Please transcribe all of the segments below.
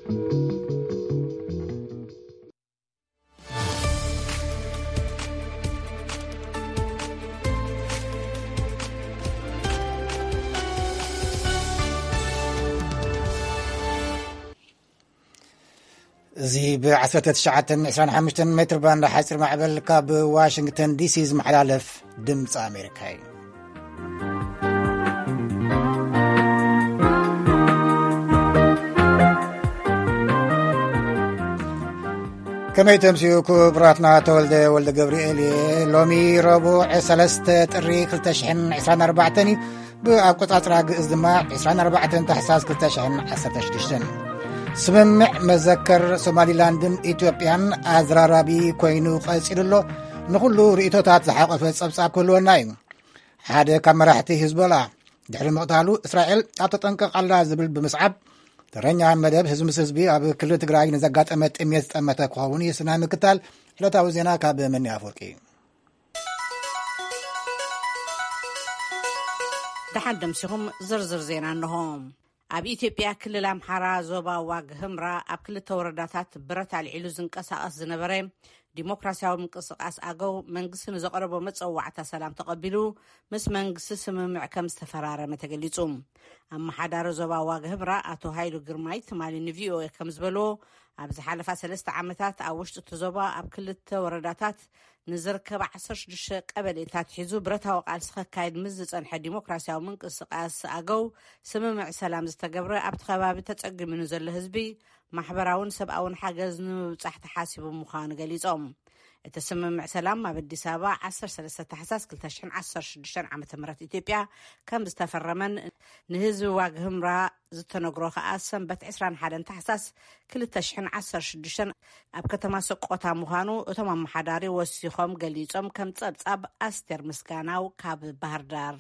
እዚ ብ1925 ሜትር ባንድ ሓፂር ማዕበል ካብ ዋሽንግተን ዲሲ ዝመሓላለፍ ድምፂ ኣሜሪካ እዩ። ከመይ ተምስዩ ክቡራትና፣ ተወልደ ወልደ ገብርኤል እየ። ሎሚ ረቡዕ 3 ጥሪ 2024 እዩ። ብኣቆጻጽራ ግእዝ ድማ 24 ታሕሳስ 2016። ስምምዕ መዘከር ሶማሊላንድን ኢትዮጵያን ኣዘራራቢ ኮይኑ ቀጺሉ ኣሎ። ንኹሉ ርእይቶታት ዝሓቆፈ ጸብጻብ ክህልወና እዩ። ሓደ ካብ መራሕቲ ሂዝቦላ ድሕሪ ምቕታሉ፣ እስራኤል ኣብ ተጠንቀቕ ኣላ ዝብል ብምስዓብ፣ ተረኛ መደብ ህዝቢ ምስ ህዝቢ ኣብ ክልል ትግራይ ንዘጋጠመ ጥሜት ዝጠመተ ክኸውን እዩ። ስናይ ምክታል ዕለታዊ ዜና ካብ መኒ ኣፈወርቂ። ደሓን ደምሲኹም ዝርዝር ዜና እንሆ። ኣብ ኢትዮጵያ ክልል ኣምሓራ ዞባ ዋግ ህምራ ኣብ ክልተ ወረዳታት ብረት ኣልዒሉ ዝንቀሳቐስ ዝነበረ ዲሞክራሲያዊ ምንቅስቓስ ኣገው መንግስቲ ንዘቕረቦ መጸዋዕታ ሰላም ተቐቢሉ ምስ መንግስቲ ስምምዕ ከም ዝተፈራረመ ተገሊጹ። ኣመሓዳሪ ዞባ ዋግ ህምራ ኣቶ ሃይሉ ግርማይ ትማሊ ንቪኦኤ ከም ዝበልዎ፣ ኣብ ዝሓለፋ ሰለስተ ዓመታት ኣብ ውሽጢ እቲ ዞባ ኣብ ክልተ ወረዳታት ንዝርከብ 16 ቀበሌታት ሒዙ ብረታዊ ቃልሲ ከካይድ ምስ ዝጸንሐ ዲሞክራሲያዊ ምንቅስቓስ ኣገው ስምምዕ ሰላም ዝተገብረ፣ ኣብቲ ከባቢ ተጸጊሙ ንዘሎ ህዝቢ ማሕበራውን ሰብኣውን ሓገዝ ንምብጻሕ ተሓሲቡ ምዃኑ ገሊጾም። እቲ ስምምዕ ሰላም ኣብ ኣዲስ ኣበባ 13 ታሕሳስ 2016 ዓ.ም ኢትዮጵያ ከም ዝተፈረመን ንህዝቢ ዋግ ህምራ ዝተነግሮ ከኣ ሰንበት 21 ታሕሳስ 2016 ኣብ ከተማ ሰቆታ ምዃኑ እቶም ኣመሓዳሪ ወሲኾም ገሊጾም፣ ከም ጸብጻብ ኣስቴር ምስጋናው ካብ ባህር ዳር።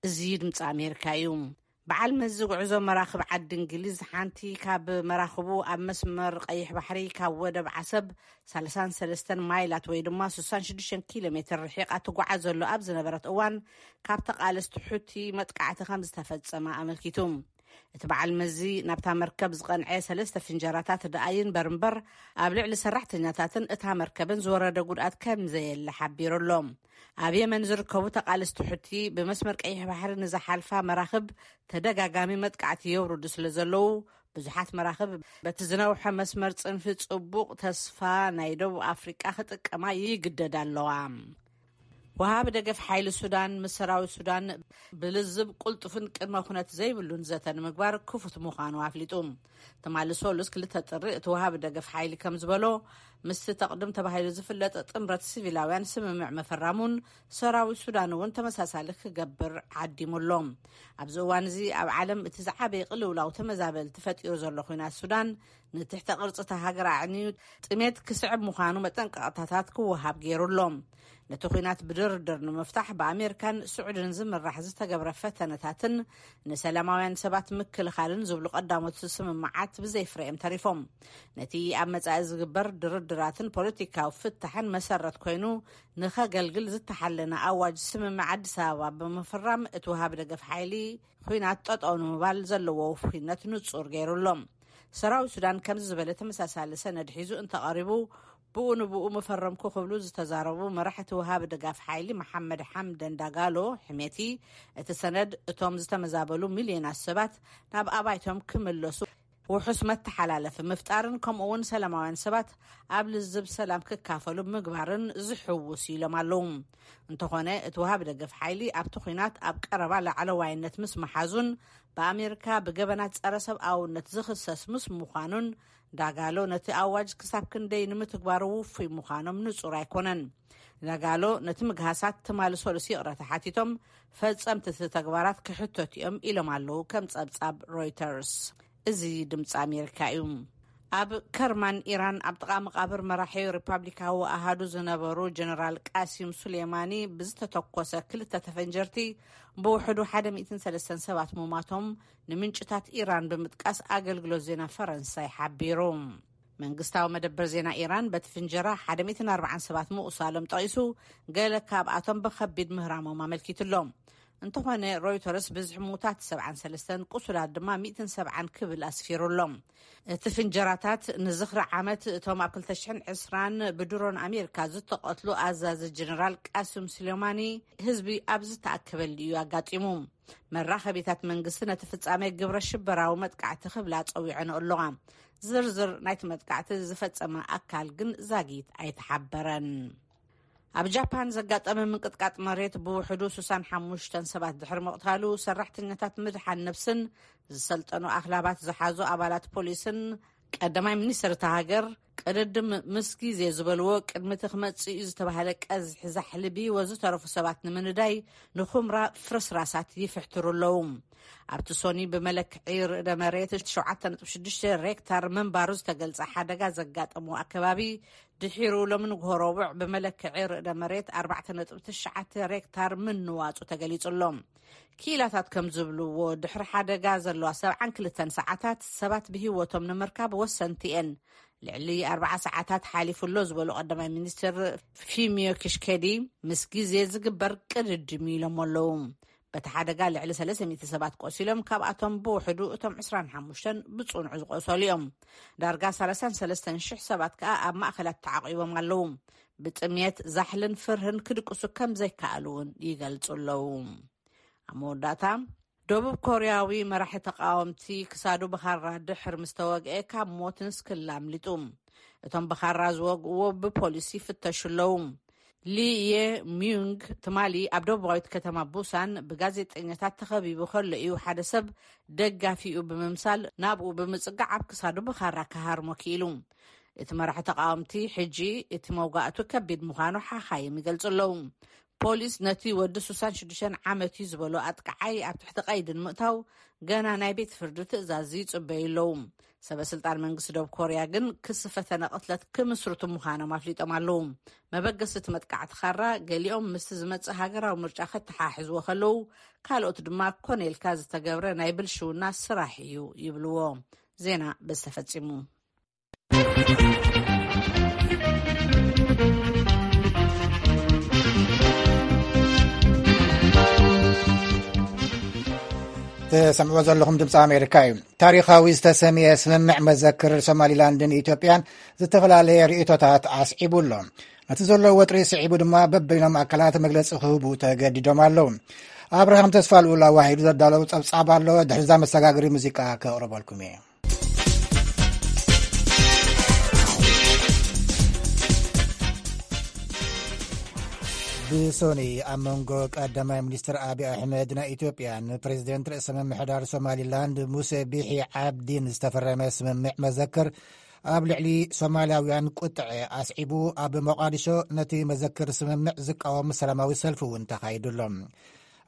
እዚ ድምፂ ኣሜሪካ እዩ። በዓል መዚ ጉዕዞ መራኽብ ዓዲ እንግሊዝ፣ ሓንቲ ካብ መራኽቡ ኣብ መስመር ቀይሕ ባሕሪ ካብ ወደብ ዓሰብ 33 ማይላት ወይ ድማ 66 ኪሎ ሜትር ርሒቓ ትጓዓዘሉ ኣብ ዝነበረት እዋን፣ ካብ ተቓለስቲ ሑቲ መጥቃዕቲ ከም ዝተፈጸመ ኣመልኪቱ። እቲ በዓል መዚ ናብታ መርከብ ዝቐንዐ ሰለስተ ፍንጀራታት ደኣ ይንበር እምበር፣ ኣብ ልዕሊ ሰራሕተኛታትን እታ መርከብን ዝወረደ ጉድኣት ከም ዘየለ ሓቢሩ ኣሎ። ኣብ የመን ዝርከቡ ተቓለስቲ ሑቲ ብመስመር ቀይሕ ባሕሪ ንዝሓልፋ መራኽብ ተደጋጋሚ መጥቃዕቲ የውርዱ ስለ ዘለዉ፣ ብዙሓት መራኽብ በቲ ዝነውሐ መስመር ጽንፊ ጽቡቕ ተስፋ ናይ ደቡብ ኣፍሪቃ ክጥቀማ ይግደዳ ኣለዋ። ወሃቢ ደገፍ ሓይሊ ሱዳን ምስ ሰራዊት ሱዳን ብልዝብ ቅልጡፍን ቅድመ ኩነት ዘይብሉን ዘተ ንምግባር ክፉት ምዃኑ ኣፍሊጡ። ትማሊ ሰሉስ 2 ጥሪ እቲ ወሃቢ ደገፍ ሓይሊ ከም ዝበሎ፣ ምስቲ ተቕድም ተባሂሉ ዝፍለጥ ጥምረት ሲቪላውያን ስምምዕ ምፍራሙን ሰራዊት ሱዳን እውን ተመሳሳሊ ክገብር ዓዲሙ ኣሎ። ኣብዚ እዋን እዚ ኣብ ዓለም እቲ ዝዓበየ ቅልውላው ተመዛበልቲ ፈጢሩ ዘሎ ኲናት ሱዳን፣ ንትሕተ ቅርጺ እታ ሃገር ኣዕንዩ ጥሜት ክስዕብ ምዃኑ መጠንቀቕታታት ክወሃብ ገይሩ ኣሎ። ነቲ ኲናት ብድርድር ንምፍታሕ ብኣሜሪካን ስዑድን ዝምራሕ ዝተገብረ ፈተነታትን ንሰላማውያን ሰባት ምክልኻልን ዝብሉ ቀዳሞት ስምምዓት ብዘይፍረ እዮም ተሪፎም። ነቲ ኣብ መጻኢ ዝግበር ድርድራትን ፖለቲካዊ ፍታሕን መሰረት ኮይኑ ንኸገልግል ዝተሓለነ ኣዋጅ ስምምዕ ኣዲስ ኣበባ ብምፍራም፣ እቲ ወሃቢ ደገፍ ሓይሊ ኲናት ጠጠው ንምባል ዘለዎ ውፉይነት ንጹር ገይሩ ኣሎ። ሰራዊት ሱዳን ከምዚ ዝበለ ተመሳሳሊ ሰነድ ሒዙ እንተቐሪቡ፣ ብኡ ንብኡ ምፈረምኩ ክብሉ ዝተዛረቡ መራሕቲ ወሃቢ ደጋፍ ሓይሊ መሓመድ ሓምደን ዳጋሎ ሕሜቲ፣ እቲ ሰነድ እቶም ዝተመዛበሉ ሚልዮናት ሰባት ናብ ኣባይቶም ክምለሱ ውሑስ መተሓላለፊ ምፍጣርን ከምኡ እውን ሰላማውያን ሰባት ኣብ ልዝብ ሰላም ክካፈሉ ምግባርን ዝሕውስ ኢሎም ኣለዉ። እንተኾነ፣ እቲ ወሃቢ ደገፍ ሓይሊ ኣብቲ ኲናት ኣብ ቀረባ ላዕለዋይነት ምስ መሓዙን ብኣሜሪካ ብገበናት ጸረ ሰብኣውነት ዝኽሰስ ምስ ምዃኑን፣ ዳጋሎ ነቲ ኣዋጅ ክሳብ ክንደይ ንምትግባሩ ውፉይ ምዃኖም ንጹር ኣይኮነን። ዳጋሎ ነቲ ምግሃሳት ትማሊ ሰሉስ ይቕረታ ሓቲቶም፣ ፈጸምቲ እቲ ተግባራት ክሕተቱ እዮም ኢሎም ኣለዉ፣ ከም ጸብጻብ ሮይተርስ። እዚ ድምፂ ኣሜሪካ እዩ። ኣብ ከርማን ኢራን ኣብ ጥቓ መቓብር መራሒ ሪፓብሊካዊ ኣሃዱ ዝነበሩ ጀነራል ቃሲም ሱሌማኒ ብዝተተኮሰ ክልተ ተፈንጀርቲ ብውሕዱ 137 ሙማቶም ንምንጭታት ኢራን ብምጥቃስ ኣገልግሎት ዜና ፈረንሳይ ሓቢሩ። መንግስታዊ መደበር ዜና ኢራን በቲ ፍንጀራ 140 ሰባት ምቑሳሎም ጠቒሱ፣ ገለ ካብኣቶም ብኸቢድ ምህራሞም ኣመልኪቱ ኣሎ። እንተኾነ፣ ሮይተርስ ብዝሒ ምዉታት ሰብዓን ሰለስተን፣ ቁሱላት ድማ ሚእትን ሰብዓን ክብል ኣስፊሩ ኣሎ። እቲ ፍንጀራታት ንዝኽሪ ዓመት እቶም ኣብ ክልተ ሽሕን ዕስራን ብድሮን ኣሜሪካ ዝተቐትሉ ኣዛዚ ጀነራል ቃስም ሱሌማኒ ህዝቢ ኣብ ዝተኣከበሉ እዩ ኣጋጢሙ። መራኸቢታት መንግስቲ ነቲ ፍጻሜ ግብረ ሽበራዊ መጥቃዕቲ ክብላ ጸዊዐን ኣለዋ። ዝርዝር ናይቲ መጥቃዕቲ ዝፈጸመ ኣካል ግን ዛጊት ኣይተሓበረን። ኣብ ጃፓን ዘጋጠመ ምንቅጥቃጥ መሬት ብውሕዱ ስሳን ሓሙሽተን ሰባት ድሕሪ ምቕታሉ፣ ሰራሕተኛታት ምድሓን ነብስን ዝሰልጠኑ ኣኽላባት ዝሓዙ ኣባላት ፖሊስን ቀዳማይ ሚኒስትር እታ ሃገር ቅድድም ምስ ግዜ ዝበልዎ፣ ቅድሚ እቲ ክመጽእ እዩ ዝተባህለ ቀዝሒ ዛሕሊ ብህይወት ዝተረፉ ሰባት ንምንዳይ ንኹምራ ፍርስራሳት ይፍሕትሩ ኣለዉ። ኣብቲ ሶኒ ብመለክዒ ርእደ መሬት ሸውዓተ ነጥቢ ሽዱሽተ ሬክታር ምንባሩ ዝተገልጸ ሓደጋ ዘጋጠሞ ኣከባቢ፣ ድሒሩ ሎሚ ንግሆ ረቡዕ ብመለክዒ ርእደ መሬት ኣርባዕተ ነጥቢ ትሽዓተ ሬክታር ምንዋጹ ተገሊጹ ኣሎ። ክኢላታት ከም ዝብልዎ፣ ድሕሪ ሓደጋ ዘለዋ ሰብዓን ክልተን ሰዓታት ሰባት ብህይወቶም ንምርካብ ወሰንቲ እየን። ልዕሊ ኣርባዓ ሰዓታት ሓሊፉ ኣሎ ዝበሉ ቀዳማይ ሚኒስትር ፊሚዮ ኪሽኬዲ፣ ምስ ግዜ ዝግበር ቅድድም ኢሎም ኣለዉ። በቲ ሓደጋ ልዕሊ ሰለስተ ሚእቲ ሰባት ቆሲሎም፣ ካብኣቶም ብውሕዱ እቶም ዕስራን ሓሙሽተን ብጽኑዕ ዝቆሰሉ እዮም። ዳርጋ ሰላሳን ሰለስተን ሽሕ ሰባት ከኣ ኣብ ማእከላት ተዓቂቦም ኣለዉ። ብጥምየት፣ ዛሕልን ፍርህን ክድቅሱ ከም ዘይከኣሉ እውን ይገልጹ ኣለዉ። ኣብ መወዳእታ፣ ደቡብ ኮርያዊ መራሒ ተቃወምቲ ክሳዱ ብኻራ ድሕር ምስ ተወግአ፣ ካብ ሞት ንስክላ ኣምሊጡ። እቶም ብኻራ ዝወግእዎ ብፖሊስ ይፍተሹ ኣለዉ። ሊ የ ሚዩንግ ትማሊ ኣብ ደቡባዊት ከተማ ቡሳን ብጋዜጠኛታት ተኸቢቡ ከሎ እዩ ሓደ ሰብ ደጋፊኡ ብምምሳል ናብኡ ብምጽጋዕ ኣብ ክሳዱ ብኻራ ክሃርሞ ክኢሉ። እቲ መራሒ ተቃወምቲ፣ ሕጂ እቲ መውጋእቱ ከቢድ ምዃኑ ሓኻይም ይገልጹ ኣለዉ። ፖሊስ ነቲ ወዲ ስሳን ሽዱሽተን ዓመት እዩ ዝበሎ ኣጥቃዓይ ኣብ ትሕቲ ቀይዲ ንምእታው ገና ናይ ቤት ፍርዲ ትእዛዝ ይጽበዩ ኣለዉ። ሰበ ስልጣን መንግስቲ ደቡብ ኮርያ ግን ክሲ ፈተነ ቅትለት ክምስርቱ ምዃኖም ኣፍሊጦም ኣለዉ። መበገሲ እቲ መጥቃዕቲ ኻራ፣ ገሊኦም ምስቲ ዝመጽእ ሃገራዊ ምርጫ ከተሓሕዝዎ ከለዉ፣ ካልኦት ድማ ኮነ ኢልካ ዝተገብረ ናይ ብልሽውና ስራሕ እዩ ይብልዎ። ዜና በዚ ተፈጺሙ። ትሰምዕዎ ዘለኹም ድምፂ ኣሜሪካ እዩ። ታሪኻዊ ዝተሰምየ ስምምዕ መዘክር ሶማሊላንድን ኢትዮጵያን ዝተፈላለየ ርእይቶታት ኣስዒቡ ኣሎ። ነቲ ዘሎ ወጥሪ ስዒቡ ድማ በበይኖም ኣካላት መግለፂ ክህቡ ተገዲዶም ኣለዉ። ኣብርሃም ተስፋ ልኡል ኣዋሂዱ ዘዳለዉ ጸብጻብ ኣሎ። ድሕሪዛ መሰጋገሪ ሙዚቃ ከቕርበልኩም እየ። ብሶኒ ኣብ መንጎ ቀዳማይ ሚኒስትር ኣብይ ኣሕመድ ናይ ኢትዮጵያን ፕሬዚደንት ርእሰ ምምሕዳር ሶማሊላንድ ሙሴ ቢሒ ዓብዲን ዝተፈረመ ስምምዕ መዘክር ኣብ ልዕሊ ሶማልያውያን ቁጥዐ ኣስዒቡ ኣብ ሞቃዲሾ ነቲ መዘክር ስምምዕ ዝቃወም ሰላማዊ ሰልፊ እውን ተኻይዱ ኣሎ።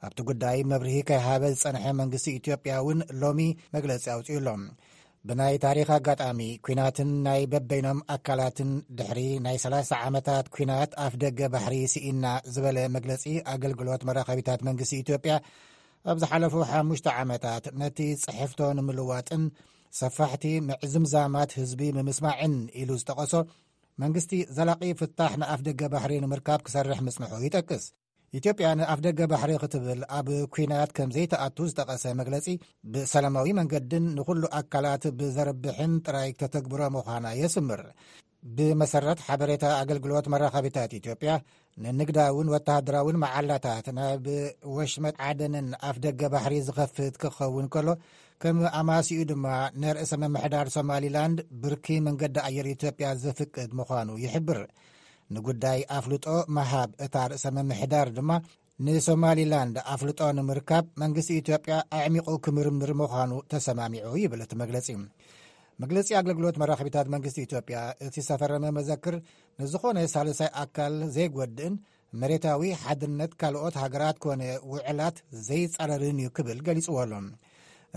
ኣብቲ ጉዳይ መብርሂ ከይሃበ ዝጸንሐ መንግስቲ ኢትዮጵያ እውን ሎሚ መግለጺ ኣውጺኡ ኣሎ። ብናይ ታሪኽ ኣጋጣሚ ኲናትን ናይ በበይኖም ኣካላትን ድሕሪ ናይ ሰላሳ ዓመታት ኲናት ኣፍ ደገ ባሕሪ ስኢና ዝበለ መግለጺ ኣገልግሎት መራኸቢታት መንግስቲ ኢትዮጵያ ኣብ ዝሓለፉ ሓሙሽተ ዓመታት ነቲ ጽሕፍቶ ንምልዋጥን ሰፋሕቲ ምዕዝምዛማት ህዝቢ ንምስማዕን ኢሉ ዝጠቐሶ መንግስቲ ዘላቒ ፍታሕ ንኣፍ ደገ ባሕሪ ንምርካብ ክሰርሕ ምጽንሑ ይጠቅስ። ኢትዮጵያ ንኣፍ ደገ ባሕሪ ክትብል ኣብ ኲናት ከም ዘይተኣቱ ዝጠቐሰ መግለጺ፣ ብሰላማዊ መንገድን ንኹሉ ኣካላት ብዘርብሕን ጥራይ ከተግብሮ ምዃና የስምር። ብመሰረት ሓበሬታ ኣገልግሎት መራኸቢታት ኢትዮጵያ፣ ንንግዳውን ወተሃደራውን መዓላታት ናብ ወሽመጥ ዓደንን ኣፍ ደገ ባሕሪ ዝኸፍት ክኸውን ከሎ፣ ከም ኣማሲኡ ድማ ንርእሰ ምምሕዳር ሶማሊላንድ ብርኪ መንገዲ ኣየር ኢትዮጵያ ዘፍቅድ ምዃኑ ይሕብር። ንጉዳይ ኣፍልጦ ምሃብ እታ ርእሰ ምምሕዳር ድማ ንሶማሊላንድ ኣፍልጦ ንምርካብ መንግስቲ ኢትዮጵያ ኣዕሚቑ ክምርምር ምዃኑ ተሰማሚዑ ይብል እቲ መግለጺ። መግለጺ ኣገልግሎት መራኸቢታት መንግስቲ ኢትዮጵያ፣ እቲ ዝተፈረመ መዘክር ንዝኾነ ሳልሳይ ኣካል ዘይጎድእን መሬታዊ ሓድነት ካልኦት ሃገራት ኮነ ውዕላት ዘይጻረርን እዩ ክብል ገሊጽዎ ኣሎ።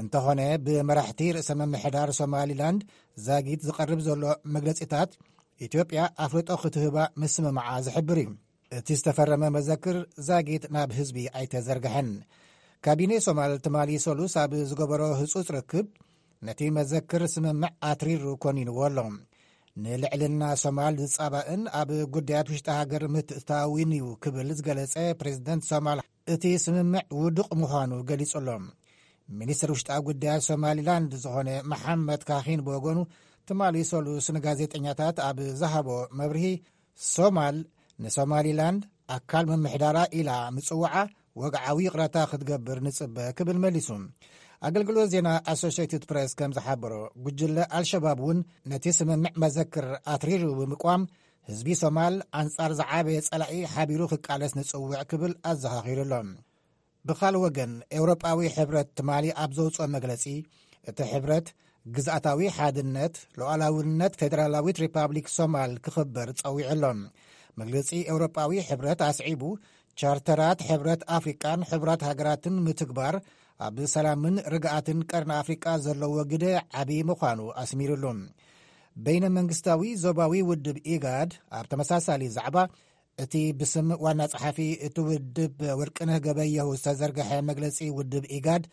እንተኾነ ብመራሕቲ ርእሰ ምምሕዳር ሶማሊላንድ ዛጊት ዝቐርብ ዘሎ መግለጺታት ኢትዮጵያ ኣፍልጦ ክትህባ ምስምማዓ ዝሕብር እዩ። እቲ ዝተፈረመ መዘክር ዛጊት ናብ ህዝቢ ኣይተዘርግሐን። ካቢኔ ሶማል ትማሊ ሰሉስ ኣብ ዝገበሮ ህጹጽ ርክብ ነቲ መዘክር ስምምዕ ኣትሪሩ ኮኒንዎ ኣሎ። ንልዕልና ሶማል ዝጻባእን ኣብ ጉዳያት ውሽጢ ሃገር ምትእትታዊን እዩ ክብል ዝገለጸ ፕሬዚደንት ሶማል እቲ ስምምዕ ውዱቕ ምዃኑ ገሊጹ ኣሎ። ሚኒስትር ውሽጣዊ ጉዳያት ሶማሊላንድ ዝኾነ መሓመድ ካኺን ብወገኑ፣ ትማሊ ሰሉስ ንጋዜጠኛታት ኣብ ዝሃቦ መብርሂ፣ ሶማል ንሶማሊላንድ ኣካል ምምሕዳራ ኢላ ምጽዋዓ ወግዓዊ ይቕረታ ክትገብር ንጽበ ክብል መሊሱ። ኣገልግሎት ዜና ኣሶሽትድ ፕሬስ ከም ዝሓበሮ፣ ጉጅለ ኣልሸባብ እውን ነቲ ስምምዕ መዘክር ኣትሪሩ ብምቋም፣ ህዝቢ ሶማል ኣንጻር ዝዓበየ ጸላኢ ሓቢሩ ክቃለስ ንጽውዕ ክብል ኣዘኻኺሩ ኣሎ። ብኻል ወገን፣ ኤውሮጳዊ ሕብረት ትማሊ ኣብ ዘውጽኦ መግለጺ፣ እቲ ሕብረት ግዝኣታዊ ሓድነት፣ ሉዓላውነት ፌደራላዊት ሪፓብሊክ ሶማል ክኽበር ጸዊዑ ኣሎ። መግለጺ ኤውሮጳዊ ሕብረት ኣስዒቡ፣ ቻርተራት ሕብረት ኣፍሪቃን ሕቡራት ሃገራትን ምትግባር ኣብ ሰላምን ርግኣትን ቀርኒ ኣፍሪቃ ዘለዎ ግደ ዓቢ ምዃኑ ኣስሚሩሉ። በይነ መንግስታዊ ዞባዊ ውድብ ኢጋድ ኣብ ተመሳሳሊ ዛዕባ፣ እቲ ብስም ዋና ጸሓፊ እቲ ውድብ ወርቅነህ ገበየሁ ዝተዘርግሐ መግለጺ፣ ውድብ ኢጋድ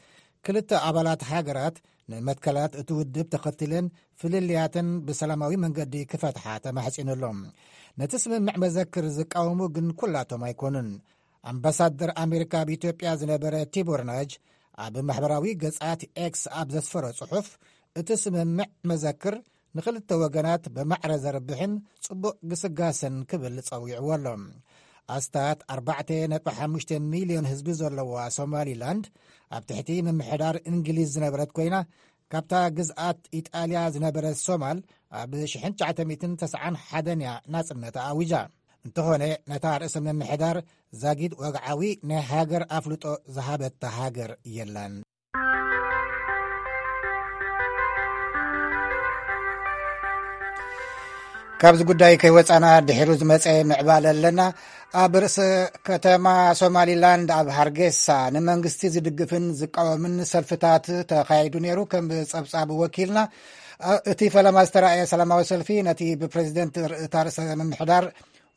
ክልተ ኣባላት ሃገራት ንመትከላት እቲ ውድብ ተኸትለን ፍልልያተን ብሰላማዊ መንገዲ ክፈትሓ ተማሕጺኑ ኣሎ። ነቲ ስምምዕ መዘክር ዝቃወሙ ግን ኩላቶም ኣይኮኑን። ኣምባሳደር ኣሜሪካ ኣብ ኢትዮጵያ ዝነበረ ቲቦር ናጅ ኣብ ማሕበራዊ ገጻት ኤክስ ኣብ ዘስፈሮ ጽሑፍ፣ እቲ ስምምዕ መዘክር ንኽልተ ወገናት ብማዕረ ዘርብሕን ጽቡቕ ግስጋሰን ክብል ጸዊዕዎ ኣሎ። ኣስታት ኣርባዕተ ነጥቢ ሓሙሽተ ሚልዮን ህዝቢ ዘለዋ ሶማሊላንድ፣ ኣብ ትሕቲ ምምሕዳር እንግሊዝ ዝነበረት ኮይና፣ ካብታ ግዝኣት ኢጣልያ ዝነበረት ሶማል ኣብ ሽሕን ትሽዓተ ሚእትን ተስዓን ሓደን እያ ናጽነታ ኣዊጃ። እንተኾነ፣ ነታ ርእሰ ምምሕዳር ዛጊድ ወግዓዊ ናይ ሃገር ኣፍልጦ ዝሃበታ ሃገር የላን። ካብዚ ጉዳይ ከይወጻና፣ ድሒሩ ዝመጸ ምዕባለ ኣለና። ኣብ ርእሰ ከተማ ሶማሊላንድ ኣብ ሃርጌሳ ንመንግስቲ ዝድግፍን ዝቃወምን ሰልፍታት ተኻይዱ ነይሩ። ከም ጸብጻብ ወኪልና፣ እ፣ እቲ ፈለማ ዝተራእየ ሰላማዊ ሰልፊ ነቲ ብፕሬዚደንት ር-፣ እታ ርእሰ ምምሕዳር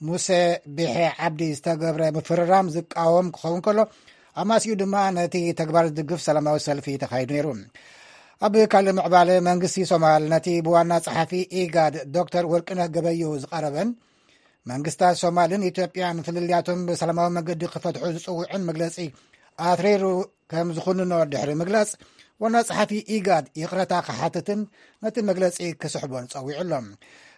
ሙሴ ቢሒ ዓብዲ ዝተገብረ ምፍርራም ዝቃወም ክኸውን ከሎ፣ ኣማስዩ ድማ ነቲ ተግባር ዝድግፍ ሰላማዊ ሰልፊ ተኻይዱ ነይሩ። ኣብ ካልእ ምዕባለ፣ መንግስቲ ሶማል ነቲ ብዋና ጸሓፊ ኢጋድ ዶክተር ወርቅነህ ገበየሁ ዝቐረበን መንግስታት ሶማልን ኢትዮጵያን ፍልልያቶም ብሰላማዊ መገዲ ክፈትሑ ዝጽውዕን መግለጺ ኣትሪሩ ከም ዝኹንኖ ድሕሪ ምግላጽ፣ ዋና ጸሓፊ ኢጋድ ይቕረታ ክሓትትን ነቲ መግለጺ ክስሕቦን ጸዊዑ ኣሎ።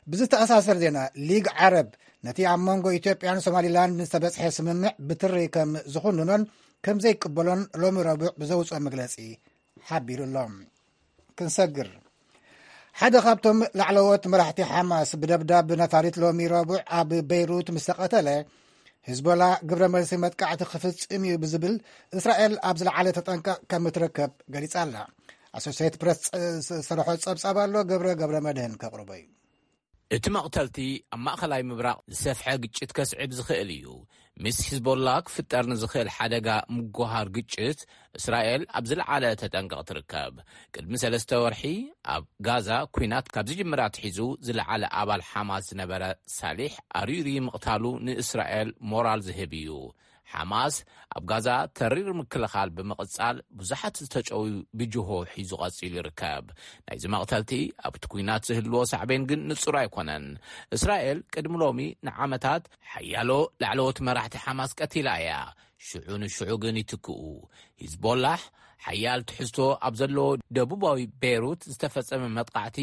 ብዝተኣሳሰር ዜና፣ ሊግ ዓረብ ነቲ ኣብ መንጎ ኢትዮጵያን ሶማሊላንድ ዝተበጽሐ ስምምዕ ብትሪ ከም ዝኹንኖን ከም ዘይቅበሎን ሎሚ ረቡዕ ብዘውጽኦ መግለጺ ሓቢሩ ኣሎ። ክንሰግር፣ ሓደ ካብቶም ላዕለዎት መራሕቲ ሓማስ ብደብዳብ ነፋሪት ሎሚ ረቡዕ ኣብ በይሩት ምስ ተቐተለ፣ ሂዝቦላ ግብረ መልሲ መጥቃዕቲ ክፍጽም እዩ ብዝብል፣ እስራኤል ኣብ ዝለዓለ ተጠንቀቕ ከም እትርከብ ገሊጻ ኣላ። ኣሶሴት ፕረስ ዝሰርሖ ጸብጻብ ኣሎ፣ ገብረ ገብረ መድህን ከቕርቦ እዩ። እቲ መቕተልቲ ኣብ ማእኸላይ ምብራቕ ዝሰፍሐ ግጭት ከስዕብ ዝኽእል እዩ። ምስ ሂዝቦላ ክፍጠር ንዝኽእል ሓደጋ ምጉሃር ግጭት፣ እስራኤል ኣብ ዝለዓለ ተጠንቀቕ ትርከብ። ቅድሚ ሰለስተ ወርሒ ኣብ ጋዛ ኲናት ካብ ዝጅምር ኣትሒዙ ዝለዓለ ኣባል ሓማስ ዝነበረ ሳሊሕ ኣሪሪ ምቕታሉ ንእስራኤል ሞራል ዝህብ እዩ። ሓማስ ኣብ ጋዛ ተሪር ምክልኻል ብምቕጻል፣ ብዙሓት ዝተጨውዩ ብጅሆ ሒዙ ቀጺሉ ይርከብ። ናይዚ መቕተልቲ ኣብቲ ኲናት ዝህልዎ ሳዕቤን ግን ንጹር ኣይኮነን። እስራኤል ቅድሚ ሎሚ ንዓመታት ሓያሎ ላዕለዎት መራሕቲ ሓማስ ቀቲላ እያ። ሽዑ ንሽዑ ግን ይትክኡ። ሂዝቦላሕ ሓያል ትሕዝቶ ኣብ ዘለዎ ደቡባዊ ቤይሩት ዝተፈጸመ መጥቃዕቲ፣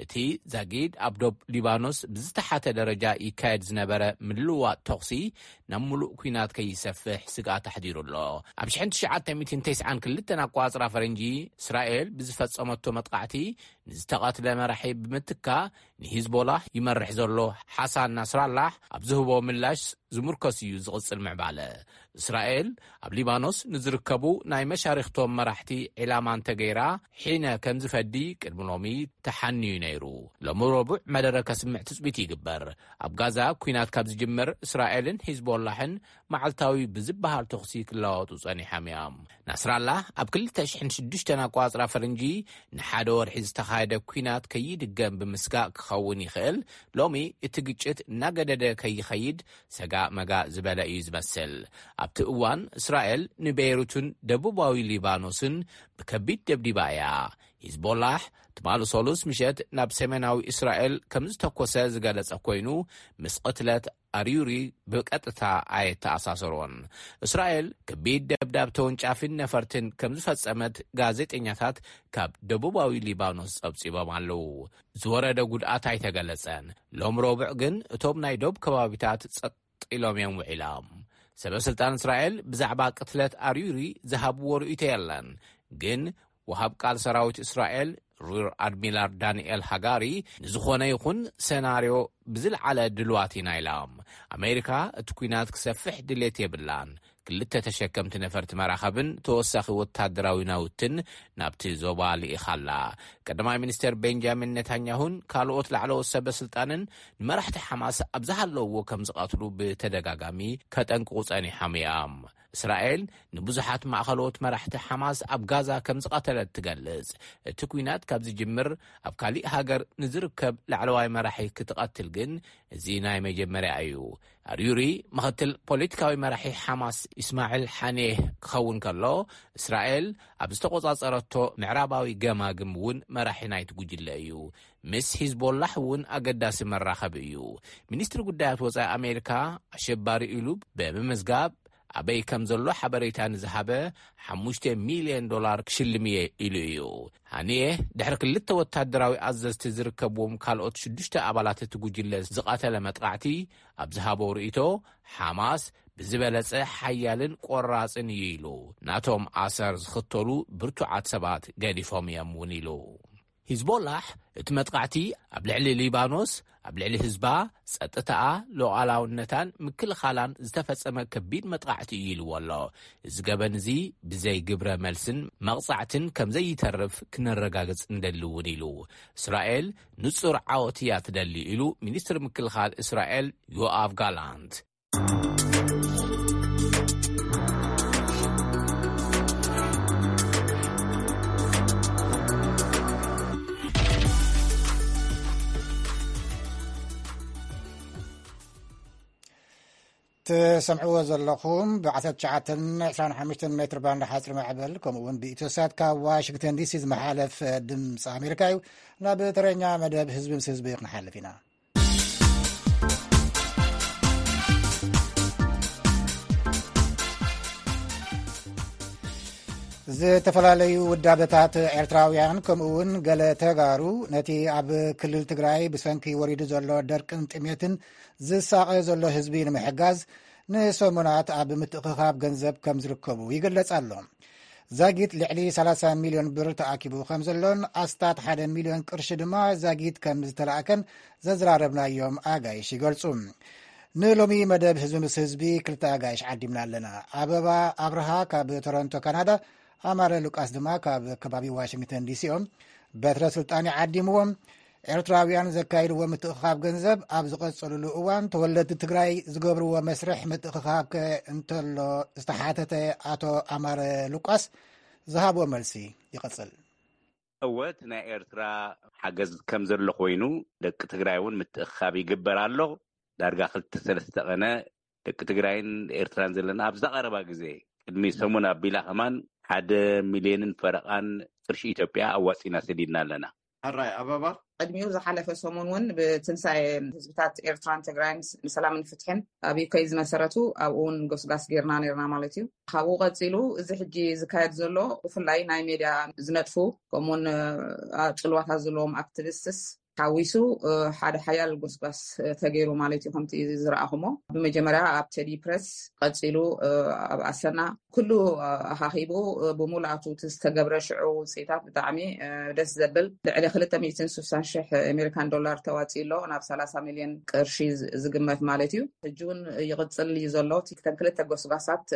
እቲ ዛጊድ ኣብ ዶብ ሊባኖስ ብዝተሓተ ደረጃ ይካየድ ዝነበረ ምልውዋጥ ተኹሲ ናብ ምሉእ ኲናት ከይሰፍሕ ስግኣት ኣሕዲሩ ኣሎ። ኣብ ሽሕን ትሽዓተ ሚእትን ተስዓን ክልተን ኣቋጽራ ፈረንጂ፣ እስራኤል ብዝፈጸመቶ መጥቃዕቲ ንዝተቐትለ መራሒ ብምትካ፣ ንሂዝቦላ ይመርሕ ዘሎ ሓሳን ናስራላሕ ኣብ ዝህቦ ምላሽ ዝምርኮስ እዩ ዝቕጽል ምዕባለ። እስራኤል ኣብ ሊባኖስ ንዝርከቡ ናይ መሻሪኽቶም መራሕቲ ዒላማ እንተገይራ፣ ሒነ ከም ዝፈዲ ቅድሚ ሎሚ ተሓንዩ ነይሩ። ሎሚ ረቡዕ መደረ ከስምዕ ትጽቢት ይግበር። ኣብ ጋዛ ኲናት ካብ ዝጅምር፣ እስራኤልን ሂዝቦላሕን መዓልታዊ ብዝበሃል ተኹሲ ክለዋወጡ ጸኒሖም እዮም። ናስራላህ ኣብ ክልተ ሽሕን ሽዱሽተን ኣቋጽራ ፈረንጂ ንሓደ ወርሒ ዝተኻየደ ኲናት ከይድገም ብምስጋእ ክኸውን ይኽእል፣ ሎሚ እቲ ግጭት እናገደደ ከይኸይድ ሰጋእ መጋእ ዝበለ እዩ ዝመስል። ኣብቲ እዋን እስራኤል ንቤይሩትን ደቡባዊ ሊባኖስን ብከቢድ ደብዲባ እያ። ሂዝቦላህ ትማሊ ሰሉስ ምሸት ናብ ሰሜናዊ እስራኤል ከም ዝተኮሰ ዝገለጸ ኮይኑ፣ ምስ ቅትለት ኣርዩሪ ብቀጥታ ኣየተኣሳሰሮን። እስራኤል ከቢድ ደብዳብ ተወንጫፊን ነፈርትን ከም ዝፈጸመት ጋዜጠኛታት ካብ ደቡባዊ ሊባኖስ ጸብጺቦም ኣለዉ። ዝወረደ ጉድኣት ኣይተገለጸን። ሎም ረቡዕ ግን እቶም ናይ ዶብ ከባቢታት ጸጥ ኢሎም እዮም ውዒሎም። ሰበ ስልጣን እስራኤል ብዛዕባ ቅትለት ኣርዩሪ ዝሃብዎ ርእይቶ የለን። ግን ወሃብ ቃል ሰራዊት እስራኤል ሪር ኣድሚራል ዳንኤል ሃጋሪ፣ ንዝኾነ ይኹን ሰናርዮ ብዝለዓለ ድልዋት ኢና ኢሎም። ኣሜሪካ እቲ ኲናት ክሰፍሕ ድሌት የብላን። ክልተ ተሸከምቲ ነፈርቲ መራኸብን ተወሳኺ ወታደራዊ ናውትን ናብቲ ዞባ ልኢኻ ኣላ። ቀዳማይ ሚኒስተር ቤንጃሚን ኔታንያሁን ካልኦት ላዕለዎት ሰበ ስልጣንን ንመራሕቲ ሓማስ ኣብ ዝሃለውዎ ከም ዝቐትሉ ብተደጋጋሚ ከጠንቅቑ ጸኒሖም እዮም። እስራኤል ንብዙሓት ማእኸሎት መራሕቲ ሓማስ ኣብ ጋዛ ከም ዝቐተለት ትገልጽ። እቲ ኲናት ካብ ዝጅምር ኣብ ካሊእ ሃገር ንዝርከብ ላዕለዋይ መራሒ ክትቐትል ግን እዚ ናይ መጀመርያ እዩ። ኣርዩሪ ምኽትል ፖለቲካዊ መራሒ ሓማስ ኢስማዕል ሓኔህ ክኸውን ከሎ፣ እስራኤል ኣብ ዝተቖጻጸረቶ ምዕራባዊ ገማግም እውን መራሒ ናይቲ ጉጅለ እዩ። ምስ ሂዝቦላሕ እውን ኣገዳሲ መራኸቢ እዩ። ሚኒስትሪ ጉዳያት ወጻኢ ኣሜሪካ ኣሸባሪ ኢሉ ብምምዝጋብ ኣበይ ከም ዘሎ ሓበሬታ ንዝሃበ ሓሙሽተ ሚልዮን ዶላር ክሽልም እየ ኢሉ እዩ። ሃኒየ ድሕሪ ክልተ ወታደራዊ ኣዘዝቲ ዝርከብዎም ካልኦት ሽዱሽተ ኣባላት እቲ ጉጅለ ዝቐተለ መጥቃዕቲ ኣብ ዝሃቦ ርእይቶ፣ ሓማስ ብዝበለጸ ሓያልን ቆራጽን እዩ ኢሉ። ናቶም ኣሰር ዝኽተሉ ብርቱዓት ሰባት ገዲፎም እዮም እውን ኢሉ። ሂዝቦላሕ እቲ መጥቃዕቲ ኣብ ልዕሊ ሊባኖስ፣ ኣብ ልዕሊ ህዝባ፣ ጸጥታኣ፣ ሉዓላውነታን ምክልኻላን ዝተፈጸመ ከቢድ መጥቃዕቲ እዩ ኢልዎ ኣሎ። እዚ ገበን እዚ ብዘይ ግብረ መልስን መቕጻዕትን ከም ዘይተርፍ ክነረጋግጽ እንደሊ እውን ኢሉ። እስራኤል ንጹር ዓወት እያ ትደሊ ኢሉ ሚኒስትሪ ምክልኻል እስራኤል ዮኣቭ ጋላንት። ትሰምዕዎ ዘለኹም ብ19 25 ሜትር ባንድ ሓፅሪ ማዕበል፣ ከምኡ እውን ብኢትዮሳት ካብ ዋሽንግተን ዲሲ ዝመሓለፍ ድምፂ ኣሜሪካ እዩ። ናብ ተረኛ መደብ ህዝቢ ምስ ህዝቢ ክንሓልፍ ኢና። ዝተፈላለዩ ውዳበታት ኤርትራውያን፣ ከምኡ እውን ገለ ተጋሩ፣ ነቲ ኣብ ክልል ትግራይ ብሰንኪ ወሪዱ ዘሎ ደርቅን ጥሜትን ዝሳቐ ዘሎ ህዝቢ ንምሕጋዝ ንሰሙናት ኣብ ምትእኽኻብ ገንዘብ ከም ዝርከቡ ይግለጽ ኣሎ። ዛጊት ልዕሊ 30 ሚልዮን ብር ተኣኪቡ ከም ዘሎን ኣስታት ሓደ ሚልዮን ቅርሺ ድማ ዛጊት ከም ዝተላእከን ዘዘራረብናዮም ኣጋይሽ ይገልጹ። ንሎሚ መደብ ህዝቢ ምስ ህዝቢ ክልተ ኣጋይሽ ዓዲምና ኣለና። ኣበባ ኣብርሃ ካብ ቶሮንቶ ካናዳ፣ ኣማረ ሉቃስ ድማ ካብ ከባቢ ዋሽንግተን ዲሲ እዮም። በትረ ስልጣን ይዓዲምዎም። ኤርትራውያን ዘካይድዎ ምትእኽኻብ ገንዘብ ኣብ ዝቐጸሉሉ እዋን፣ ተወለድቲ ትግራይ ዝገብርዎ መስርሕ ምትእኽኻብ ከ እንተሎ ዝተሓተተ ኣቶ ኣማረ ሉቃስ ዝሃቦ መልሲ ይቐጽል። እወ፣ እቲ ናይ ኤርትራ ሓገዝ ከም ዘሎ ኮይኑ፣ ደቂ ትግራይ እውን ምትእኽኻብ ይግበር ኣሎ። ዳርጋ ክልተ ሰለስተ ቀነ ደቂ ትግራይን ኤርትራን ዘለና ኣብዚ ቀረባ ግዜ፣ ቅድሚ ሰሙን ኣቢላ ከማን ሓደ ሚልዮንን ፈረቓን ቅርሺ ኢትዮጵያ ኣዋጺና ሰዲድና ኣለና። ሕራይ ኣበባ። ቅድሚኡ ዝሓለፈ ሰሙን እውን ብትንሳኤ ህዝብታት ኤርትራን ትግራይን ንሰላምን ፍትሕን ኣብ ዩከይ ዝመሰረቱ፣ ኣብኡ እውን ጎስጋስ ጌርና ነርና ማለት እዩ። ካብኡ ቀጺሉ እዚ ሕጂ ዝካየድ ዘሎ ብፍላይ ናይ ሜድያ ዝነጥፉ፣ ከምኡውን ጽልዋታት ዘለዎም ኣክቲቪስትስ ሓዊሱ ሓደ ሓያል ጎስጓስ ተገይሩ ማለት እዩ። ከምቲ ዝረኣኹሞ፣ ብመጀመርያ ኣብ ቴዲ ፕረስ፣ ቀጺሉ ኣብ ኣሰና፣ ኩሉ ኣኻኺቡ ብምሉኣቱ እቲ ዝተገብረ ሽዑ ውፅኢታት ብጣዕሚ ደስ ዘብል፣ ልዕሊ ክልተ ሚእትን ስሳን ሽሕ ኣሜሪካን ዶላር ተዋፂኡ ኣሎ፣ ናብ ሰላሳ ሚልዮን ቅርሺ ዝግመት ማለት እዩ። ሕጂ እውን ይቕፅል እዩ ዘሎ። እቲ ክተን ክልተ ጎስጓሳት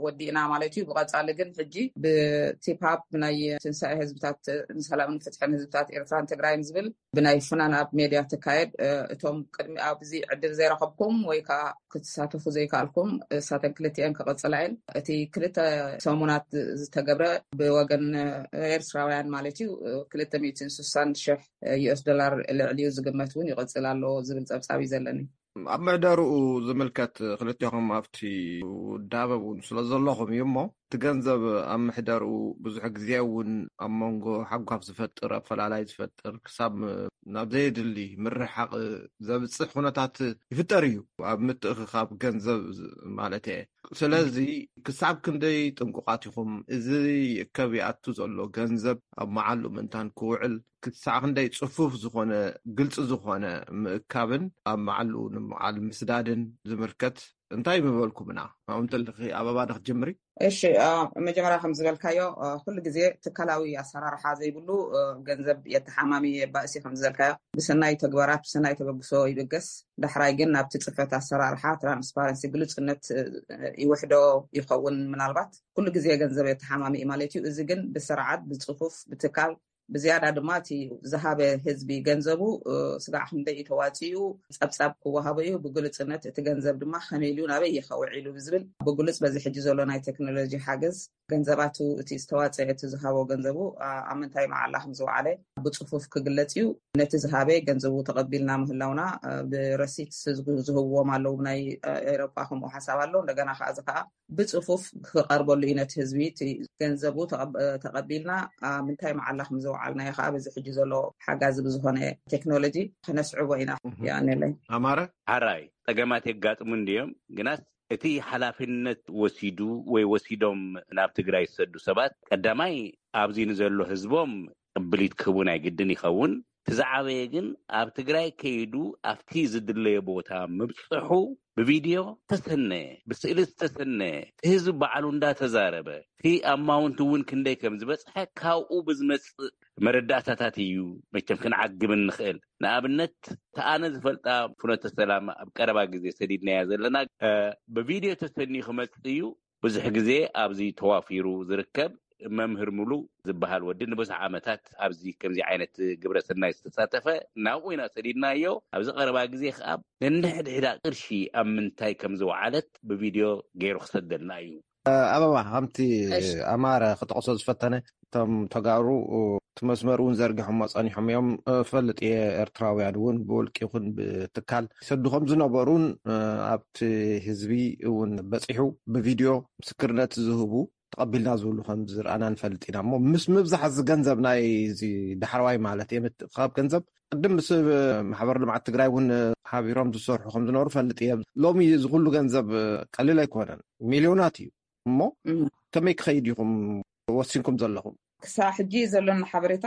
ወዲእና ማለት እዩ። ብቐፃሊ ግን ሕጂ ብቲፓፕ ናይ ትንሳኤ ህዝብታት፣ ንሰላምን ፍትሕን ህዝብታት ኤርትራን ትግራይን ዝብል ብናይ ፍናን ኣብ ሜድያ ትካየድ፣ እቶም ቅድሚ ኣብዚ ዕድል ዘይረኸብኩም ወይ ከዓ ክትሳተፉ ዘይከኣልኩም፣ እሳተን ክልቲኤን ክቕፅላ እየን። እቲ ክልተ ሰሙናት ዝተገብረ ብወገን ኤርትራውያን ማለት እዩ፣ ክልተ ሚእትን ስሳን ሽሕ ዩኤስ ዶላር ልዕሊኡ ዝግመት እውን ይቕፅል ኣሎ ዝብል ፀብፃብ እዩ ዘለኒ። ኣብ ምሕደርኡ ዝምልከት ክልቴኹም ኣብቲ ውዳበ እውን ስለ ዘለኹም እዩ እሞ፣ እቲ ገንዘብ ኣብ ምሕደርኡ ብዙሕ ግዜ እውን ኣብ መንጎ ሓጓፍ ዝፈጥር፣ ኣፈላላይ ዝፈጥር፣ ክሳብ ናብ ዘየድሊ ምርሕሓቕ ዘብፅሕ ኩነታት ይፍጠር እዩ፣ ኣብ ምትእኽኻብ ገንዘብ ማለት እየ። ስለዚ ክሳብ ክንደይ ጥንቁቓት ኢኹም? እዚ ይእከብ ይኣቱ ዘሎ ገንዘብ ኣብ መዓሉ ምእንታን ክውዕል ክሳዕ ክንደይ ጽፉፍ ዝኾነ፣ ግልጺ ዝኾነ ምእካብን ኣብ መዓሉ ንምውዓል ምስዳድን ዝምልከት እንታይ ምበልኩምና? ኣብኡ እንተለኺ ኣበባ ዶ ክትጅምሪ? እሺ፣ ኣ፣ መጀመርያ ከም ዝበልካዮ፣ ኣ፣ ኩሉ ግዜ ትካላዊ ኣሰራርሓ ዘይብሉ፣ እ፣ ገንዘብ የተሓማሚ የባእሲ ከም ዝበልካዮ፣ ብሰናይ ተግባራት፣ ብሰናይ ተበግሶ ይብገስ። ዳሕራይ ግን ናብቲ ጽፈት ኣሰራርሓ ትራንስፓረንሲ፣ ግሉጽነት፣ እ፣ ይውሕዶ ይኸውን። ምናልባት ኩሉ ግዜ ገንዘብ የተሓማሚ ማለት እዩ። እዚ ግን ብስርዓት፣ ብጽፉፍ፣ ብትካል፣ ብዝያዳ ድማ እቲ ዝሃበ ህዝቢ ገንዘቡ፣ እ፣ ስጋዕ ክንደይ እዩ ተዋፂኡ፣ ጸብጻብ ክወሃቦ እዩ። ብግሉጽነት እቲ ገንዘብ ድማ ከመይ ኢሉ ናበይ እዩ ከውዒሉ ብዝብል ብግሉጽ በዚ ሕጂ ዘሎ ናይ ቴክኖሎጂ ሓገዝ ገንዘባቱ፣ እቲ ዝተዋፀ፣ እቲ ዝሃቦ ገንዘቡ፣ እ፣ ኣብ ምንታይ መዓላ ከም ዝወዓለ ብጽፉፍ ክግለጽ እዩ። ነቲ ዝሃበ ገንዘቡ ተቐቢልና ምህላውና፣ እ፣ ብረሲት ዝግ-፣ ዝህብዎም ኣለዉ። ናይ፣ እ፣ ኤውሮጳ ከምኡ ሓሳብ ኣሎ። እንደገና ከዓ እዚ ከዓ ብጽፉፍ ክቐርበሉ እዩ ነቲ ህዝቢ። እቲ ገንዘቡ ተቐብ-፣ ተቐቢልና ኣብ ምንታይ መዓላ ከም ዘውዓልናዮ ከዓ በዚ ሕጂ ዘሎ ሓጋዚ ብዝኾነ ቴክኖሎጂ ከነስዕቦ ኢና። እህ። የቐንየለይ። ኣማረ? ሓራይ ጸገማት የጋጥሙ እንድዮም፣ ግናስ እቲ ሓላፍነት ወሲዱ ወይ ወሲዶም ናብ ትግራይ ዝሰዱ ሰባት ቀዳማይ ኣብዚ ንዘሎ ህዝቦም ቅብሊት ክህቡ ናይ ግድን ይኸውን። እቲ ዝዓበየ ግን ኣብ ትግራይ ከይዱ ኣብቲ ዝድለዮ ቦታ ምብፅሑ ብቪድዮ ዝተሰነየ፣ ብስእሊ ዝተሰነየ፣ እቲ ህዝቢ ባዕሉ እንዳተዛረበ፣ እቲ ኣማውንት እውን ክንደይ ከም ዝበፅሐ ካብኡ ብዝመፅእ መረዳእታታት እዩ መቸም ክንዓግብ እንኽእል። ንኣብነት፣ እቲ ኣነ ዝፈልጣ ፍኖተ ሰላም ኣብ ቀረባ ግዜ ሰዲድናያ ዘለና፣ እ፣ ብቪድዮ ተሰንዩ ክመፅእ እዩ። ብዙሕ ግዜ ኣብዚ ተዋፊሩ ዝርከብ መምህር ሙሉ ዝበሃል ወዲ ንብዙሕ ዓመታት ኣብዚ ከምዚ ዓይነት ግብረ ሰናይ ዝተሳተፈ፣ ናብኡ ኢና ሰዲድናዮ። ኣብዚ ቀረባ ግዜ ከዓ ነንሕድሕዳ ቅርሺ ኣብ ምንታይ ከም ዝወዓለት ብቪድዮ ገይሩ ክሰደልና እዩ። ኣበባ፣ ከምቲ እሺ። ኣማረ ክጠቕሶ ዝፈተነ፣ እቶም ተጋሩ እቲ መስመር እውን ዘርጊሖሞ ጸኒሖም እዮም። እፈልጥ እየ፣ ኤርትራውያን እውን ብውልቂ ይኹን ብትካል ይሰዱ ከም ዝነበሩን፣ እ፣ ኣብቲ ህዝቢ እውን በጺሑ ብቪድዮ ምስክርነት ዝህቡ ተቐቢልና ዝብሉ ከም ዝረኣና ንፈልጥ ኢና። እሞ ምስ ምብዛሕ እዚ ገንዘብ ናይ እዚ ዳሕረዋይ ማለት እየ፣ ምትእኽኻብ ገንዘብ ቅድም ምስ ማሕበር ልምዓት ትግራይ እውን ሓቢሮም ዝሰርሑ ከም ዝነበሩ ፈልጥ እየ። ሎሚ እዚ ኩሉ ገንዘብ ቀሊል ኣይኮነን፣ ሚልዮናት እዩ። እሞ እም። ከመይ ክኸይድ ኢኹም ወሲንኩም ዘለኹም? ክሳብ ሕጂ ዘሎና ሓበሬታ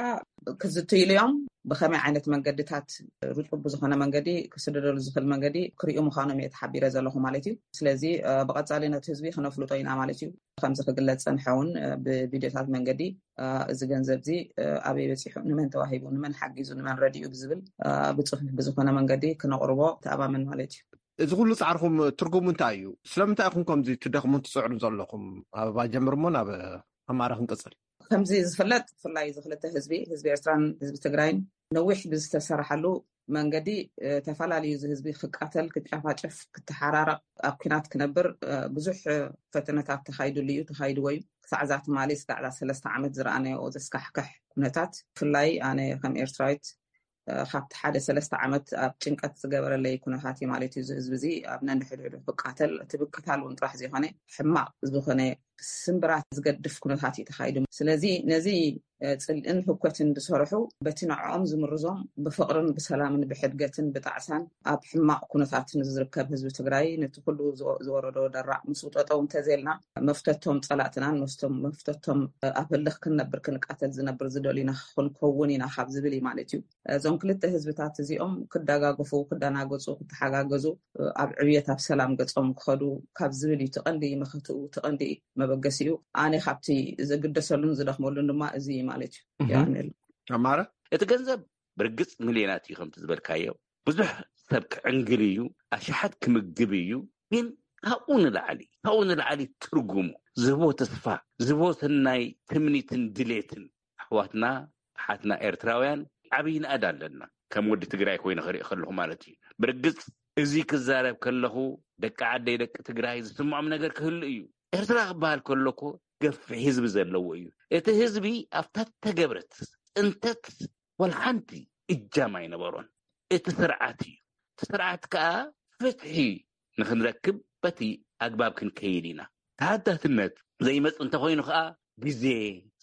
ክዝትይሉ እዮም። ብኸመይ ዓይነት መንገድታት፣ ርጡብ ብዝኾነ መንገዲ ክስደደሉ ዝኽእል መንገዲ ክርእዩ ምዃኖም እየ ተሓቢረ ዘለኹ ማለት እዩ። ስለዚ፣ እ፣ ብቐጻሊ ነቲ ህዝቢ ክነፍልጦ ኢና ማለት እዩ። ከምዚ ክግለጽ ጸንሐ እውን፣ እ፣ ብቪድዮታት መንገዲ፣ እ፣ እዚ ገንዘብ እዚ፣ እ፣ ኣበይ በጺሑ፣ ንመን ተዋሂቡ፣ ንመን ሓጊዙ፣ ንመን ረዲኡ ብዝብል፣ እ፣ ብጽሑፍ ብዝኾነ መንገዲ ክነቕርቦ ተኣማመን ማለት እዩ። እዚ ኩሉ ጻዕርኹም ትርጉሙ እንታይ እዩ? ስለምንታይ ኢኹም ከምዚ ትደኽሙን ትጽዕሩን ዘለኹም? ኣበባ ጀምር እሞ ናብ ኣማረ ክንቅጽል። ከምዚ ዝፍለጥ፣ ብፍላይ እዚ ክልተ ህዝቢ፣ ህዝቢ ኤርትራን ህዝቢ ትግራይን፣ ነዊሕ ብዝተሰርሓሉ መንገዲ፣ እ፣ ተፈላለዩ፣ እዚ ህዝቢ ክቃተል፣ ክጨፋጨፍ፣ ክተሓራረቕ፣ ኣብ ኲናት ክነብር፣ እ፣ ብዙሕ፣ እ፣ ፈተነታት ተኻይዱሉ እዩ፣ ተኻይድዎ እዩ። ክሳዕ እዛ ትማሊ፣ ክሳዕ እዛ ሰለስተ ዓመት ዝረኣናዮ ዘስካሕክሕ ኩነታት፣ ብፍላይ ኣነ ከም ኤርትራዊት፣ እ፣ ካብቲ ሓደ ሰለስተ ዓመት ኣብ ጭንቀት ዝገበረለይ ኩነታት እዩ ማለት እዩ። እዚ ህዝቢ እዚ ኣብ ነንሕድሕዱ ክቃተል፣ እቲ ብቅታል እውን ጥራሕ ዘይኮነ፣ ሕማቕ ዝኾነ ስምብራት ዝገድፍ ኩነታት እዩ ተኻይዱ። ስለዚ ነዚ፣ እ፣ ጽልእን ህኮትን ዝሰርሑ፣ በቲ ንዕኦም ዝምርዞም፣ ብፍቕርን ብሰላምን ብሕድገትን ብጣዕሳን ኣብ ሕማቕ ኩነታት ንዝርከብ ህዝቢ ትግራይ፣ ነቲ ኩሉ ዝወ-፣ ዝወረዶ ደራዕ ምስኡ ጠጠው እንተዘይልና፣ መፍተቶም ጸላእትናን መስቶም መፍተቶም፣ እ፣ ኣብ ህልኽ ክንነብር ክንቃተል ዝነብር ዝደልዩና ክንከውን ኢና ካብ ዝብል እዩ ማለት እዩ። እዞም ክልተ ህዝብታት እዚኦም ክደጋገፉ፣ ክደናገጹ፣ ክተሓጋገዙ፣ ኣብ ዕብየት፣ ኣብ ሰላም ገጾም ክኸዱ ካብ ዝብል እዩ። እቲ ቀንዲ መኸትኡ፣ እቲ ቀንዲ መበገሲኡ፣ ኣነ ካብቲ ዝግደሰሉን ዝደኽመሉን ድማ እዚ እዩ ማለት እዩ። እህ። የቐንየሉ። ኣማረ? እቲ ገንዘብ ብርግጽ ሚልዮናት እዩ፣ ከምቲ ዝበልካዮ። ብዙሕ ሰብ ክዕንግል እዩ፣ ኣሽሓት ክምግብ እዩ። ግን ካብኡ ንላዕሊ፣ ካብኡ ንላዕሊ ትርጉሙ፣ ዝህቦ ተስፋ፣ ዝህቦ ሰናይ ትምኒትን ድሌትን፣ ኣሕዋትና ኣሓትና ኤርትራውያን ዓብዪ ናእዳ ኣለና። ከም ወዲ ትግራይ ኮይነ ክርኢ ከለኹ ማለት እዩ። ብርግጽ እዚ ክዛረብ ከለኹ ደቂ ዓደይ ደቂ ትግራይ ዝስምዖም ነገር ክህሉ እዩ። ኤርትራ ክበሃል ከሎ እኮ ገፊሕ ህዝቢ ዘለዎ እዩ። እቲ ህዝቢ ኣብታ ተገብረት ጽንተት ወላ ሓንቲ እጃም ኣይነበሮን። እቲ ስርዓት እዩ። እቲ ስርዓት ከኣ ፍትሒ ንኽንረክብ በቲ ኣግባብ ክንከይድ ኢና። ተሓታትነት ዘይመጽእ እንተኾይኑ ከዓ ግዜ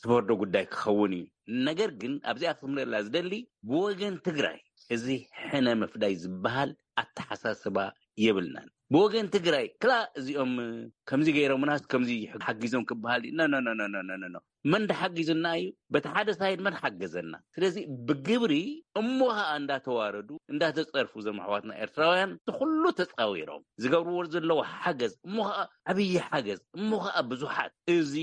ዝፈርዶ ጉዳይ ክኸውን እዩ። ነገር ግን ኣብዚኣ ክምለላ ዝደሊ ብወገን ትግራይ እዚ ሕነ ምፍዳይ ዝበሃል ኣተሓሳስባ የብልናን። ብወገን ትግራይ ክላ እዚኦም ከምዚ ገይሮምናስ ከምዚ ሓጊዞም ክበሃል እዩ። ኖ፣ ኖ፣ ኖ፣ ኖ፣ ኖ፣ ኖ፣ ኖ። መን ድሓጊዙና እዩ? በቲ ሓደ ሳይድ መን ሓገዘና? ስለዚ ብግብሪ እሞ ኸኣ እንዳተዋረዱ እንዳተጸርፉ እዞም ኣሕዋትና ኤርትራውያን እቲ ኩሉ ተጻዊሮም ዝገብርዎ ዘለዉ ሓገዝ እሞ ኸኣ ዓብዪ ሓገዝ እሞ ኸኣ ብዙሓት እዚ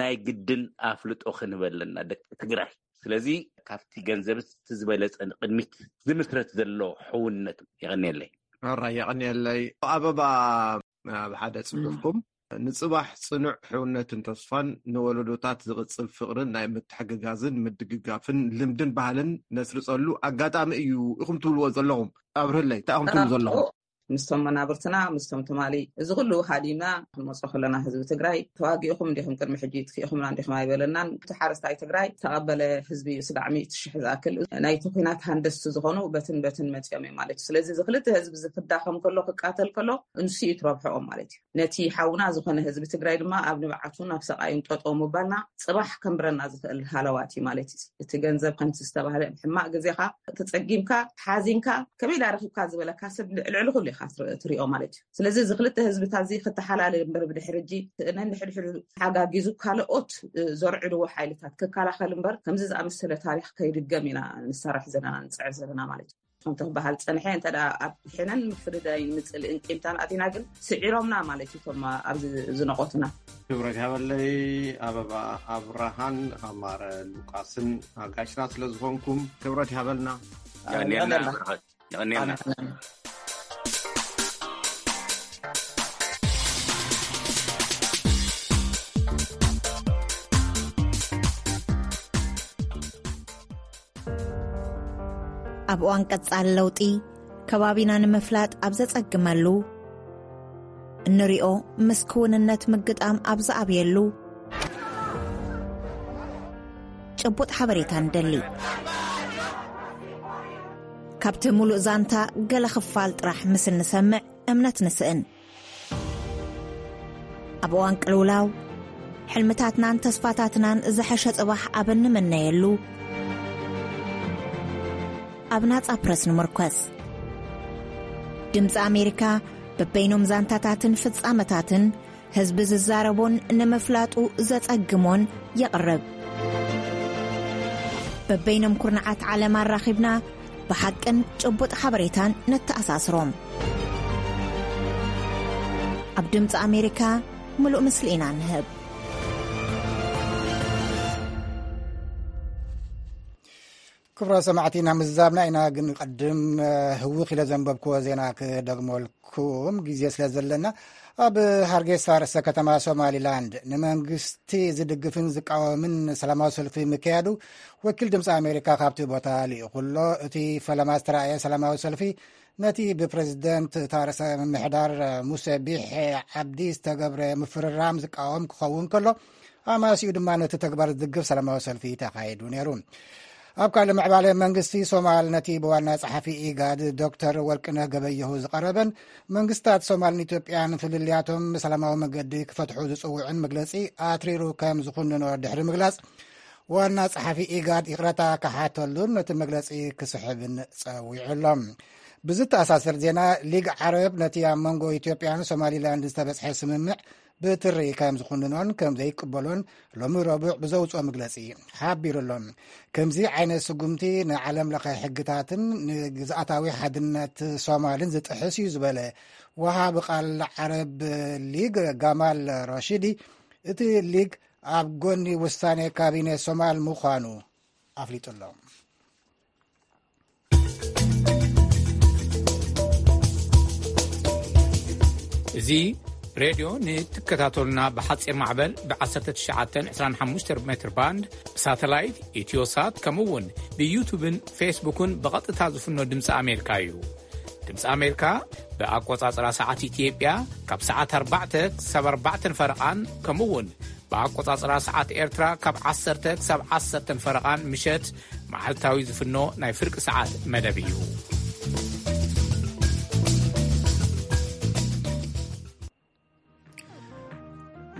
ናይ ግድን ኣፍልጦ ክንበለና ደቂ ትግራይ። ስለዚ ካብቲ ገንዘብስ እቲ ዝበለጸ ንቕድሚት ዝምስረት ዘሎ ሕውነት የቐንየለይ። ኣራይ የቐንየለይ። ኣበባ ኣብ ሓደ ጽሑፍኩም ንጽባሕ ጽኑዕ ሕውነትን ተስፋን ንወለዶታት ዝቕጽል ፍቕርን ናይ ምትሕግጋዝን ምድግጋፍን ልምድን ባህልን ነስርጸሉ ኣጋጣሚ እዩ ኢኹም ትብልዎ ዘለኹም። ኣብርህለይ እንታይ ኢኹም ትብሉ ዘለኹም? ምስቶም መናብርትና ምስቶም ትማሊ እዚ ኩሉ ሃዲምና ክንመጾ ከለና ህዝቢ ትግራይ ተዋጊእኹም እንዲኹም ቅድሚ ሕጂ ትክኢኹምና እንዲኹም ኣይበለናን። እቲ ሓረስታይ ትግራይ ተቐበለ ህዝቢ እዩ። ስጋዕ ሚእቲ ሽሕ ዝኣክል ናይቲ ኩናት ሃንደስቲ ዝኾኑ በትን በትን መጺኦም እዮም ማለት እዩ። ስለዚ እዚ ክልተ ህዝቢ እዚ ክዳኸም ከሎ ክቃተል ከሎ እንሱ እዩ ትረብሐኦም ማለት እዩ። ነቲ ሓውና ዝኾነ ህዝቢ ትግራይ ድማ ኣብ ንብዓቱን ኣብ ሰቓዩን ጠጠው ምባልና ጽባሕ ከንብረና ዝኽእል ሃለዋት እዩ ማለት እዩ። እቲ ገንዘብ ከምቲ ዝተባህለ ሕማቕ ግዜኻ ተጸጊምካ ሓዚንካ ከመይ ኢላ ረኺብካ ዝበለካ ሰብ ልዕሊ ኩሉ ኢኻ ትር- ትሪኦ ማለት እዩ። ስለዚ እዚ ክልተ ህዝብታት እዚ ክተሓላለ እምበር ብድሕሪ ሕጂ ነንሕድሕዱ ተሓጋጊዙ ካልኦት እ፣ ዘርዕድዎ ሓይልታት ክከላኸል እምበር ከምዚ ዝኣመሰለ ታሪኽ ከይድገም ኢና ንሰርሕ ዘለና ንፅዕር ዘለና ማለት እዩ። ከምቲ ክበሃል ፀንሐ እንተ ደኣ ኣብ ሕነን ምፍርዳይን ምፅልእን ቂምታን ኣቲና ግን ስዒሮምና ማለት እዩ እቶም ኣብዚ ዝነቆቱና። ክብረት ይሃበለይ ኣበባ ኣብርሃን ኣማረ ሉቃስን ኣጋሽና ስለ ዝኾንኩም ክብረት ይሃበልና። የቐንየልና። የቐንየልና። ኣብ እዋን ቀጻሊ ለውጢ ከባቢና ንምፍላጥ ኣብ ዘጸግመሉ፣ እንሪኦ ምስ ክውንነት ምግጣም ኣብ ዝኣብየሉ፣ ጭቡጥ ሓበሬታ ንደሊ። ካብቲ ሙሉእ ዛንታ ገለ ክፋል ጥራሕ ምስ እንሰምዕ እምነት ንስእን። ኣብ እዋን ቅልውላው፣ ሕልምታትናን ተስፋታትናን ዝሐሸ ጽባሕ ኣብ እንምነየሉ፣ ኣብ ናጻ ፕረስ ንምርኮስ። ድምጺ ኣሜሪካ በበይኖም ዛንታታትን ፍጻመታትን ህዝቢ ዝዛረቦን ንምፍላጡ ዘጸግሞን የቕርብ። በበይኖም ኩርናዓት ዓለም ኣራኺብና ብሓቅን ጭቡጥ ሓበሬታን ነተኣሳስሮም። ኣብ ድምፂ ኣሜሪካ ምሉእ ምስሊ ኢና ንህብ። ክብራ ሰማዕቲ፣ ናብ ምዝዛብና ኢና፣ ግን ቅድም ህውኽ ኢለ ዘንበብክዎ ዜና ክደግመልኩም ግዜ ስለ ዘለና፣ ኣብ ሃርጌሳ ርእሰ ከተማ ሶማሊላንድ ንመንግስቲ ዝድግፍን ዝቃወምን ሰላማዊ ሰልፊ ምክያዱ ወኪል ድምፂ ኣሜሪካ ካብቲ ቦታ ልኢኹ ኣሎ። እቲ ፈለማ ዝተራእየ ሰላማዊ ሰልፊ ነቲ ብፕረዚደንት እታ ርእሰ ምምሕዳር ሙሴ ቢሒ ዓብዲ ዝተገብረ ምፍርራም ዝቃወም ክኸውን ከሎ፣ ኣማሲኡ ድማ ነቲ ተግባር ዝድግፍ ሰላማዊ ሰልፊ ተኻይዱ ነይሩ። ኣብ ካልእ ምዕባለ፣ መንግስቲ ሶማል ነቲ ብዋና ጸሓፊ ኢጋድ ዶክተር ወርቅነህ ገበየሁ ዝቐረበን መንግስታት ሶማልን ኢትዮጵያን ፍልልያቶም ብሰላማዊ መገዲ ክፈትሑ ዝጽውዕን መግለጺ ኣትሪሩ ከም ዝኹንኖ ድሕሪ ምግላጽ፣ ዋና ጸሓፊ ኢጋድ ይቕረታ ክሓተሉን ነቲ መግለጺ ክስሕብን ጸዊዑ ኣሎ። ብዝተኣሳሰር ዜና፣ ሊግ ዓረብ ነቲ ኣብ መንጎ ኢትዮጵያን ሶማሊላንድ ዝተበጽሐ ስምምዕ ብትሪ ከም ዝኹንኖን ከም ዘይቅበሎን ሎሚ ረቡዕ ብዘውፅኦ መግለፂ ሓቢሩ ኣሎ። ከምዚ ዓይነት ስጉምቲ ንዓለም ለኸ ሕግታትን ንግዝኣታዊ ሓድነት ሶማልን ዝጥሕስ እዩ ዝበለ ወሃቢ ቃል ዓረብ ሊግ ጋማል ራሺዲ፣ እቲ ሊግ ኣብ ጎኒ ውሳኔ ካቢኔ ሶማል ምዃኑ ኣፍሊጡ ኣሎ። እዚ ሬድዮ ንትከታተሉና ብሓጺር ማዕበል ብ1925 ሜትር ባንድ፣ ብሳተላይት፣ ኢትዮሳት፣ ከምኡ እውን ብዩቱብን ፌስቡክን ብቐጥታ ዝፍኖ ድምፂ ኣሜሪካ እዩ። ድምፂ ኣሜሪካ ብኣቆጻጽራ ሰዓት ኢትዮጵያ ካብ ሰዓት ኣርባዕተ ክሳብ ኣርባዕተን ፈረቓን፣ ከምኡ እውን ብኣቆጻጽራ ሰዓት ኤርትራ ካብ ዓሰርተ ክሳብ ዓሰርተን ፈረቓን ምሸት መዓልታዊ ዝፍኖ ናይ ፍርቂ ሰዓት መደብ እዩ።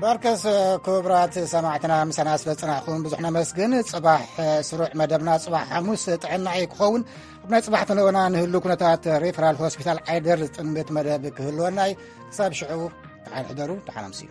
በርከስ ክቡራት ሰማዕትና፣ ምሳና ስለ ዝጸናሕኩም ብዙሕ ነመስግን። ጽባሕ ስሩዕ መደብና ጽባሕ ሓሙስ ጥዕና እዩ ክኸውን። ኣብ ናይ ጽባሕ ተንተና ንህሉ ኩነታት ሪፈራል ሆስፒታል ዓይደር ዝጥምት መደብ ክህልወና እዩ። ክሳብ ሽዑ፣ ደሓን ሕደሩ፣ ደሓን ኣምስዩ።